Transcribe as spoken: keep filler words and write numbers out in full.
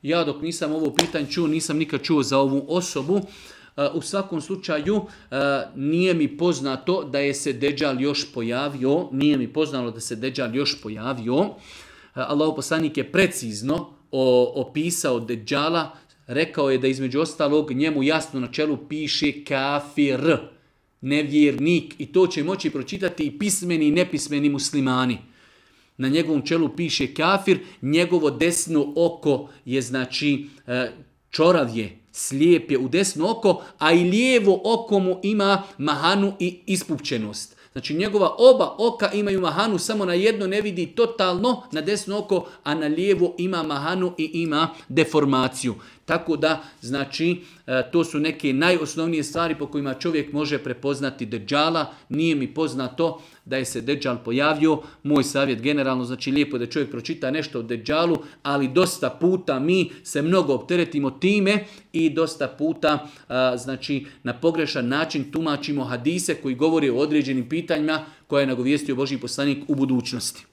Ja dok nisam ovo pitanje čuo, nisam nikad čuo za ovu osobu. U svakom slučaju nije mi poznato da je se Deđal još pojavio, nije mi poznato da se Deđal još pojavio. Allahov poslanik je precizno opisao Deđala, rekao je da između ostalog njemu jasno na čelu piše kafir, nevjernik, i to će moći pročitati i pismeni i nepismeni muslimani. Na njegovom čelu piše kafir, njegovo desno oko je znači čorav je, slijep je u desno oko, a i lijevo oko mu ima mahanu i ispupčenost. Znači njegova oba oka imaju mahanu, samo na jedno ne vidi totalno, na desno oko, a na lijevo ima mahanu i ima deformaciju. Tako da, znači, to su neke najosnovnije stvari po kojima čovjek može prepoznati Deđala. Nije mi poznato da je se Deđal pojavio. Moj savjet generalno, znači lijepo da čovjek pročita nešto o Deđalu, ali dosta puta mi se mnogo opteretimo time i dosta puta, znači, na pogrešan način tumačimo hadise koji govore o određenim pitanjima koje je nagovijestio Božji poslanik u budućnosti.